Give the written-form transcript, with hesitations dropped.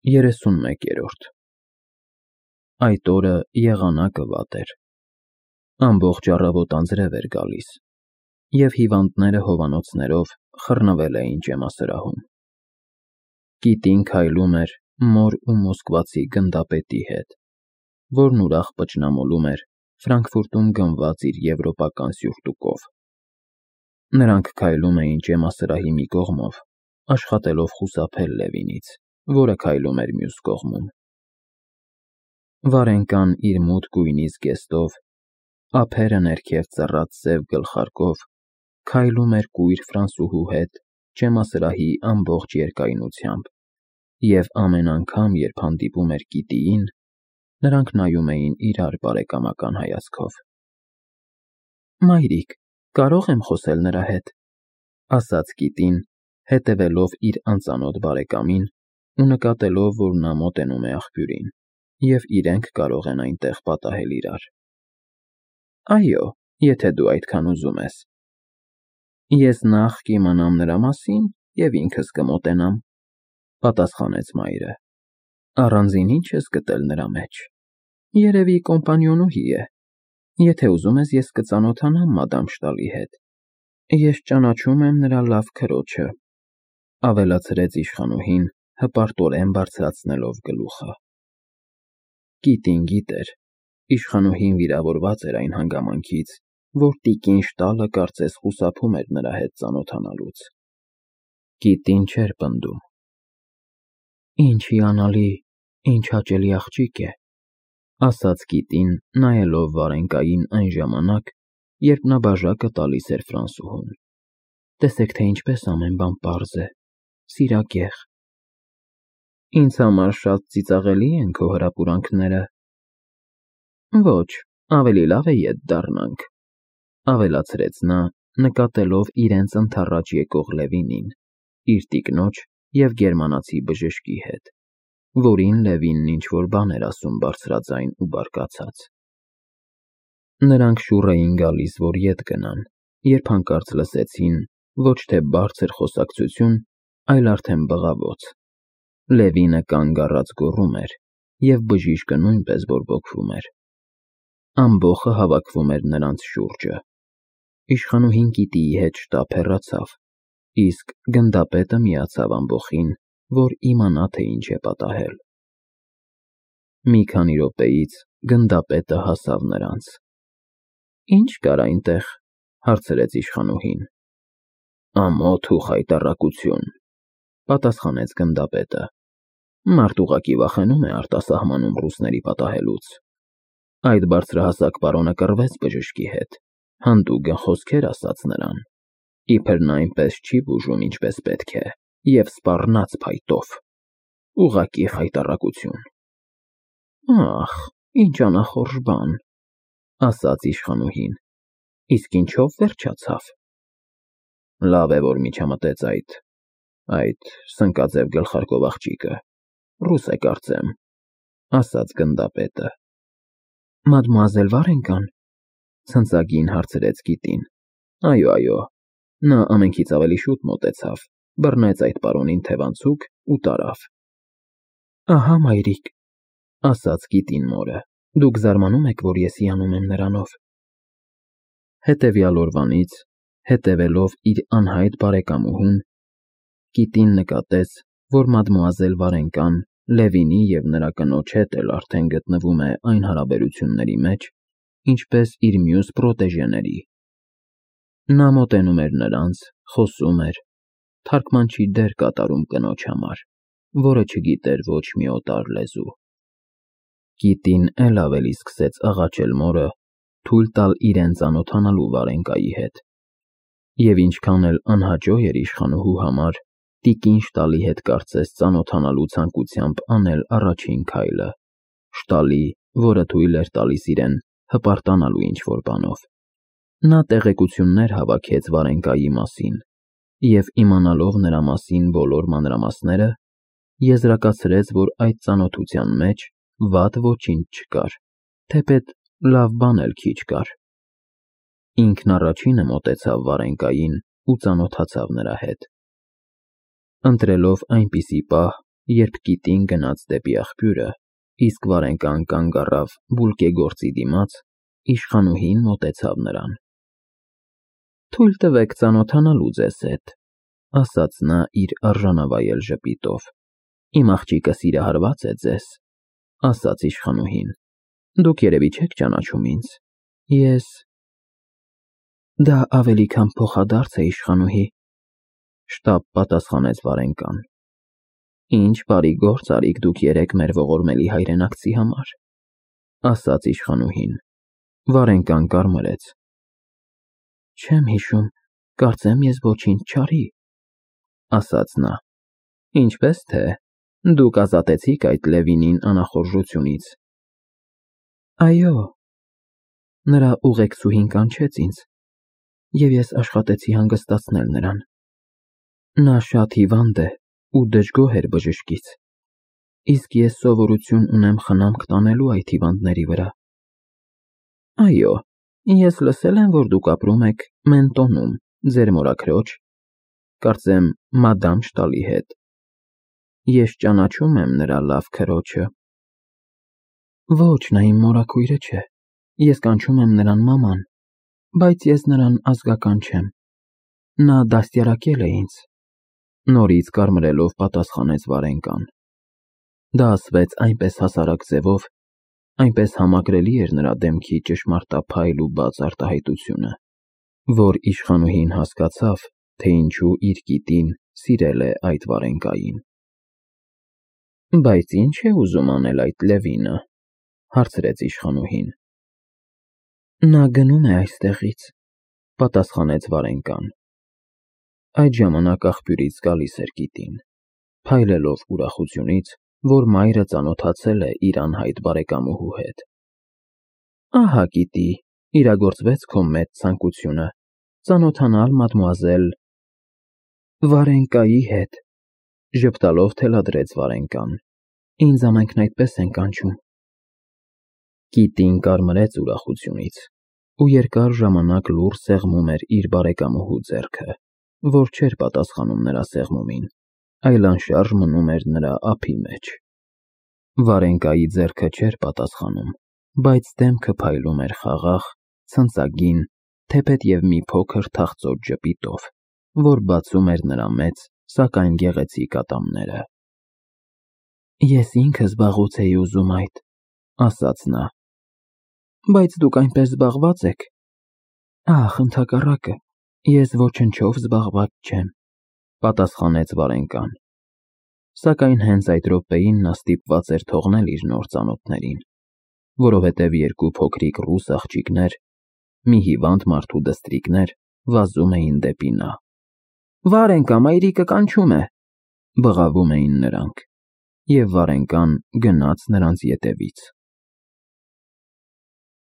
31-րդ Այդ օրը եղանակը վատ էր։ Ամբողջ առավոտ անձրև էր գալիս, և հիվանդները հովանոցներով խռնվել էին ջեմասրահում։ Կիտին քայլում էր մոր ու մոսկվացի գնդապետի հետ, որն ուրախ պճնամոլում էր Ֆրանկֆուրտում գնված իր եվրոպական սյուրտուկով։ Նրանք քայլում էին ջեմասրահի մի կողմով, աշխատելով խուսափել Լևինից, որը քայլում էր մյուս կողմում։ Վարենկան իր մութ գույնի զգեստով, ափերը ներքև ծռած սև գլխարկով քայլում էր կույր ֆրանսուհու հետ ջեմասրահի ամբողջ երկայնությամբ, և ամեն անգամ, երբ հանդիպում էր Կիտիին, նրանք նայում էին իրար բարեկամական հայացքով։ «Մայրիկ, կարո՞ղ եմ խոսել նրա հետ», ասաց Կիտին, հետևելով իր անծանոթ բարեկամին ու նկատելով, որ նա մոտենում է աղբյուրին, և իրենք կարող են այնտեղ պատահել իրար։ «Այո, եթե դու այդքան ուզում ես»։ «Ես նախ կիմանամ նրա մասին և ինքս կմոտենամ», պատասխանեց մայրը։ «Առանձին ի՞նչ ես գտել նրա մեջ»։ «Երևի կոմպանիոնուհի է։ Եթե ուզում ես, ես կծանոթանամ մադամ Շտալի հետ։ Ես ճանաչում եմ նրա լավ քրոջը», ավելացրեց իշխանուհին, հպարտորեն բարձրացնելով գլուխը։ Կիտին գիտեր, իշխանուհին վիրավորված էր այն հանգամանքից, որ տիկին Շտալը կարծես խուսափում էր նրա հետ ծանոթանալուց։ Կիտին չէր պնդում։ «Ինչ հիանալի, ինչ հաճելի աղջիկ է», ասաց Կիտին, նայելով Վարենկային այն ժամանակ, երբ նա բաժակը տալիս էր ֆրանսուհուն։ «Տեսեք, թե ինչպես ամեն բան պարզ է, սիրագեղ»։ «Ինձ համար շատ ծիծաղելի են քո հրապուրանքները»։ «Ոչ, ավելի լավ է ետ դառնանք», ավելացրեց նա, նկատելով իրենց ընդառաջ եկող Լևինին, իր տիկնոջ և գերմանացի բժշկի հետ, որին Լևինն ինչ-որ բան էր ասում բարձրաձայն ու բարկացած։ Նրանք շուռ էին գալիս, որ ետ գնան, երբ հանկարծ լսեցին ոչ թե բարձր խոսակցություն, այլ արդեն բղավոց։ Լևինը կանգ առած գոռում էր, և բժիշկը նույնպես բորբոքվում էր։ Ամբոխը հավաքվում էր նրանց շուրջը։ Իշխանուհին Կիտիի հետ շտապ հեռացավ, իսկ գնդապետը միացավ ամբոխին, որ իմանա, թե ինչ է պատահել։ Մի քանի րոպեից գնդապետը հասավ նրանց։ «Ի՞նչ կար այնտեղ», հարցրեց իշխանուհին։ «Ամոթ ու խայտառակություն», պատասխանեց գնդապետը։ «Մարդ ուղղակի վախենում է արտասահմանում ռուսների պատահելուց։ Այդ բարձրահասակ պարոնը կռվեց բժշկի հետ, հանդուգն խոսքեր ասաց նրան, իբր նա այնպես չի բուժում, ինչպես պետք է, և սպառնաց փայտով։ Ուղղակի խայտառակություն»։ «Ախ, ինչ անախորժ բան», ասաց իշխանուհին։ «Իսկ ինչով վերջացավ»։ «Լավ է, որ միջամտեց այդ սնկաձև գլխարկով աղջիկը, ռուս է կարծեմ», ասաց գնդապետը։ «Մադմուազել Վարենկան», ցնծագին հարցրեց Կիտին։ «Այո, նա ամենքից ավելի շուտ մոտեցավ, բռնեց այդ պարոնին թևանցուկ ու տարավ»։ «Ահա, մայրիկ», ասաց Կիտին մորը, «դուք զարմանում եք, որ ես հիանում եմ նրանով»։ Հետևյալ օրվանից, հետևելով իր անհայտ բարեկամուհուն, Կիտին նկատեց, որ մադմուազել Վարենկան Լևինի և նրա կնոջ հետ էլ արդեն գտնվում է այն հարաբերությունների մեջ, ինչպես իր մյուս պրոտեժեների։ Նա մոտենում էր նրանց, խոսում էր, թարգմանչի դեր կատարում կնոջ համար, որը չգիտեր ոչ մի օտար լեզու։ Կիտին էլ ավելի սկսեց աղաչել մորը թույլ տալ իրեն ծանոթանալու Վարենկայի հետ։ Եվ ինչքան էլ անհաջող էր իշխանուհու համար տիկին Շտալի հետ կարծես ծանոթանալու ցանկությամբ անել առաջին քայլը, Շտալի, որը թույլ էր տալիս իրեն հպարտանալու ինչ-որ բանով։ Նա տեղեկություններ հավաքեց Վարենկայի մասին և, իմանալով նրա մասին բոլոր մանրամասները, եզրակացրեց, որ այդ ծանոթության մեջ վատ ոչինչ չկար, թեպետ լավ բան էլ քիչ կար։ Ինքն առաջինը մոտեցավ Վարենկային ու ծանոթացավ նրա հետ։ Ընտրելով այնպիսի պահ, երբ կիտին գնաց դեպի աղբյուրը, իսկ Վարենկան կանգ առավ բուլկեգործի դիմաց, իշխանուհին մոտեցավ նրան։ «Թույլ տվեք ծանոթանալու ձեզ հետ», ասաց նա իր արժանավայել ժպիտով։ «Իմ աղջիկը սիրահարված է ձեզ», ասաց իշխանուհին։ «Դուք երևի չեք ճանաչում ինձ։ Ես…» «Դա ավելի քան փոխադարձ է, իշխանուհի», շտապ պատասխանեց Վարենկան։ «Ինչ բարի գործ արիք դուք երեկ մեր ողորմելի հայրենակցի համար», ասաց իշխանուհին։ Վարենկան կարմրեց։ «Չեմ հիշում, կարծեմ ես ոչինչ չարի», ասաց նա։ «Ինչպես թե, դուք ազատեցիք այդ Լևինին անախորժությունից»։ «Այո», նրա ուղեկցուհին կանչեց ինձ, և ես աշխատեցի հանգստացնել նրան։ Նա շատ հիվանդ է ու դժգոհ էր բժշկից, իսկ ես սովորություն ունեմ խնամք տանելու այդ հիվանդների վրա։ Այո, ես լսել եմ, որ դուք ապրում եք Մենտոնում, ձեր մորաքրոջ, կարծեմ, մադամ Շտալի հետ։ Ես ճանաչում եմ նրա լավ քրոջը։ Ոչ, նա իմ մորաքույրը չէ, ես կանչում եմ նրան մաման, բայց ես նրան ազգական չեմ։ Նա դաստիարակել է ինձ, նորից կարմրելով պատասխանեց Վարենկան։ Դա ասվեց այնպես հասարակ ձևով, այնպես համակրելի էր նրա դեմքի ճշմարտափայլ ու բաց արտահայտությունը, որ իշխանուհին հասկացավ, թե ինչու իր կիտին սիրել է այդ Վարենկային։ Բայց ինչ է ուզում անել այդ Լևինը, հարցրեց իշխանուհին։ Նա գնում է այստեղից, պատասխանեց Վարենկան։ Այդ ժամանակ աղբյուրից գալիս էր կիտին, փայլելով ուրախությունից, որ մայրը ծանոթացել է իր անհայտ բարեկամուհու հետ։ Ահա գիտի, իրագործվեց քո մեծ ցանկությունը, ծանոթանալ մադմուազել Վարենկայի հետ, ժպտալով թելադրեց Վարենկան։ Ինձ ամենքն այդպես են կանչում։ Կիտին կարմրեց ուրախությունից ու երկար ժամանակ լուռ սեղմում էր իր բարեկամուհու ձեռքը, որ չէր պատասխանում նրա սեղմումին, այլ անշարժ մնում էր նրա ափի մեջ։ Վարենկայի ձեռքը չէր պատասխանում, բայց դեմքը փայլում էր խաղաղ, ցնծագին, թեպետև մի փոքր թախծոտ ժպիտով, որ բացում էր նրա մեծ, սակայն գեղեցիկ ատամները։ Ես ինքս վաղուց էի ուզում այդ, ասաց նա։ Բայց դուք այնպես զբաղված եք։ Ախ, ընդհակառակը, ես ոչնչով զբաղված չեմ, պատասխանեց Վարենկան։ Սակայն հենց այդ րոպեին նա ստիպված էր թողնել իր նոր ծանոթներին, որովհետև երկու փոքրիկ ռուս աղջիկներ, մի հիվանդ մարդու դստրիկներ վազում էին դեպի նա։ Վարենկա, մայրիկը կանչում է, բղավում էին նրանք, և Վարենկան գնաց նրանց ետևից։